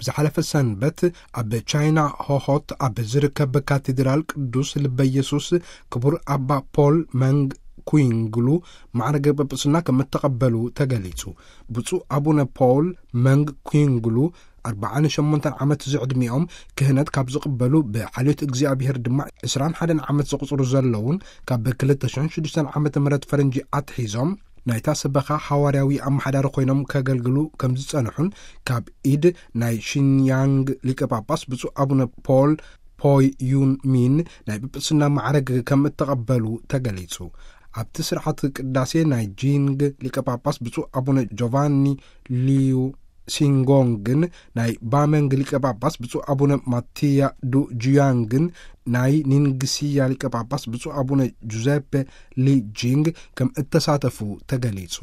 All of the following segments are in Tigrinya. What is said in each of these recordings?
ብዝሓለፈ ሰንበት ኣብ ቻይና ሆሆት ኣብ ዝርከብ ካቴድራል ቅዱስ ልበ ኢየሱስ ክቡር ኣባ ፖል መንግ ኩንግሉ ማዕረገ ጵጵስና ከም እተቐበሉ ተገሊጹ። ብፁዕ ኣቡነ ፖል መንግ ኩንግሉ ኣርባዓን ሸሞንተን ዓመት ዝዕድሚኦም ክህነት ካብ ዝቕበሉ፣ ብሓልዮት እግዚኣብሔር ድማ ዕስራን ሓደን ዓመት ዘቑጽሩ ዘለውን፣ ካብ ክልተ ሽሕን ሽዱሽተን ዓመተ ምህረት ፈረንጂ ኣትሒዞም ናይታ ሰበኻ ሓዋርያዊ ኣመሓዳሪ ኮይኖም ከገልግሉ ከም ዝጸንሑን፣ ካብ ኢድ ናይ ሺንያንግ ሊቀ ጳጳስ ብፁዕ ኣቡነ ፖል ፖይ ዩን ሚን ናይ ጵጵስና ማዕረግ ከም እተቐበሉ ተገሊጹ። ኣብቲ ስርዓት ቅዳሴ ናይ ጂንግ ሊቀ ጳጳስ ብፁዕ ኣቡነ ጆቫኒ ሊዩ ሲንጎንግን፣ ናይ ባመንግ ሊቀ ጳጳስ ብፁዕ ኣቡነ ማቲያ ዱ ጁያንግን፣ ናይ ኒንግስያ ሊቀ ጳጳስ ብፁዕ ኣቡነ ጁዘፔ ሊ ጂንግ ከም እተሳተፉ ተገሊጹ።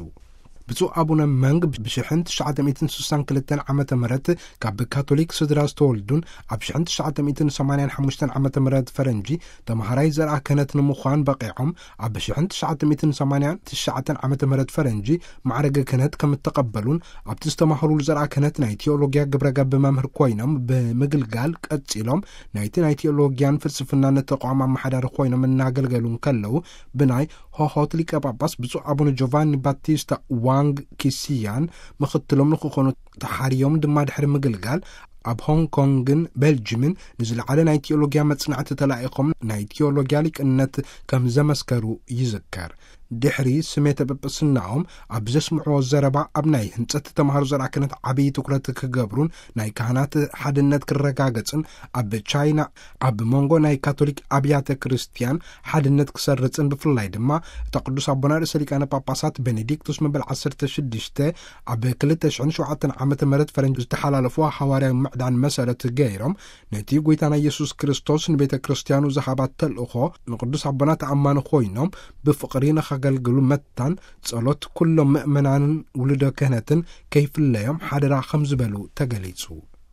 ብፁዕ ኣቡነ መንግ ብሽሕን ትሽዓተ ሚእትን ስሳን ክልተን ዓመተ ምህረት ካብ ካቶሊክ ስድራ ዝተወልዱን፣ ኣብ ሽሕን ትሽዓተ ሚእትን ሰማንያን ሓሙሽተን ዓመተ ምህረት ፈረንጂ ተምሃራይ ዘርኣ ክህነት ንምዃን በቂዖም፣ ኣብ ሽሕን ትሽዓተ ሚእትን ሰማንያን ትሽዓተን ዓመተ ምህረት ፈረንጂ ማዕረገ ክህነት ከም እተቐበሉን፣ ኣብቲ ዝተማህሩሉ ዘርኣ ክህነት ናይ ቴዎሎጊያ ግብረ ገብ መምህር ኮይኖም ብምግልጋል ቀጺሎም፣ ናይቲ ናይ ቴዎሎጊያን ፍልስፍናን ተቋም ኣመሓዳሪ ኮይኖም እናገልገሉ እንከለዉ፣ ብናይ ሆሆት ሊቀ ጳጳስ ብፁዕ ኣቡነ ጆቫኒ ባቲስታ ዋንግ ኪሲያን ምኽትሎም ንክኾኑ ተሓርዮም ድማ ድሕሪ ምግልጋል፣ ኣብ ሆንግ ኮንግን ቤልጅምን ንዝለዓለ ናይ ቴዎሎጊያ መጽናዕቲ ተላኢኾም ናይ ቴዎሎጊያ ሊቅነት ከም ዘመስከሩ ይዝከር። ድሕሪ ስሜተ ጵጵስናኦም ኣብ ዘስምዕዎ ዘረባ፣ ኣብ ናይ ህንጸት ተምሃሮ ዘርኣ ክህነት ዓብዪ ትኩረት ክገብሩን ናይ ካህናት ሓድነት ክረጋገጽን፣ ኣብ ቻይና ኣብ መንጎ ናይ ካቶሊክ ኣብያተ ክርስቲያን ሓድነት ክሰርጽን፣ ብፍላይ ድማ እታ ቅዱስ ኣቦና ርእሰ ሊቃነ ጳጳሳት ቤኔዲክቱስ መበል ዓሰርተ ሽዱሽተ ኣብ ክልተ ሽሕን ሸውዓተን ዓመተ ምህረት ፈረንጂ ዝተሓላለፍዋ ሓዋርያዊ ምዕዳን መሰረት ገይሮም፣ ነቲ ጐይታና ኢየሱስ ክርስቶስ ንቤተ ክርስቲያኑ ዝሃባ ተልእኾ ንቅዱስ ኣቦና ተኣማኒ ኮይኖም ብፍቕሪ ንኸገልግሉ መታን ጸሎት ኩሎም ምእመናንን ውሉደ ክህነትን ከይፍለዮም ሓደራ ከም ዝበሉ ተገሊጹ።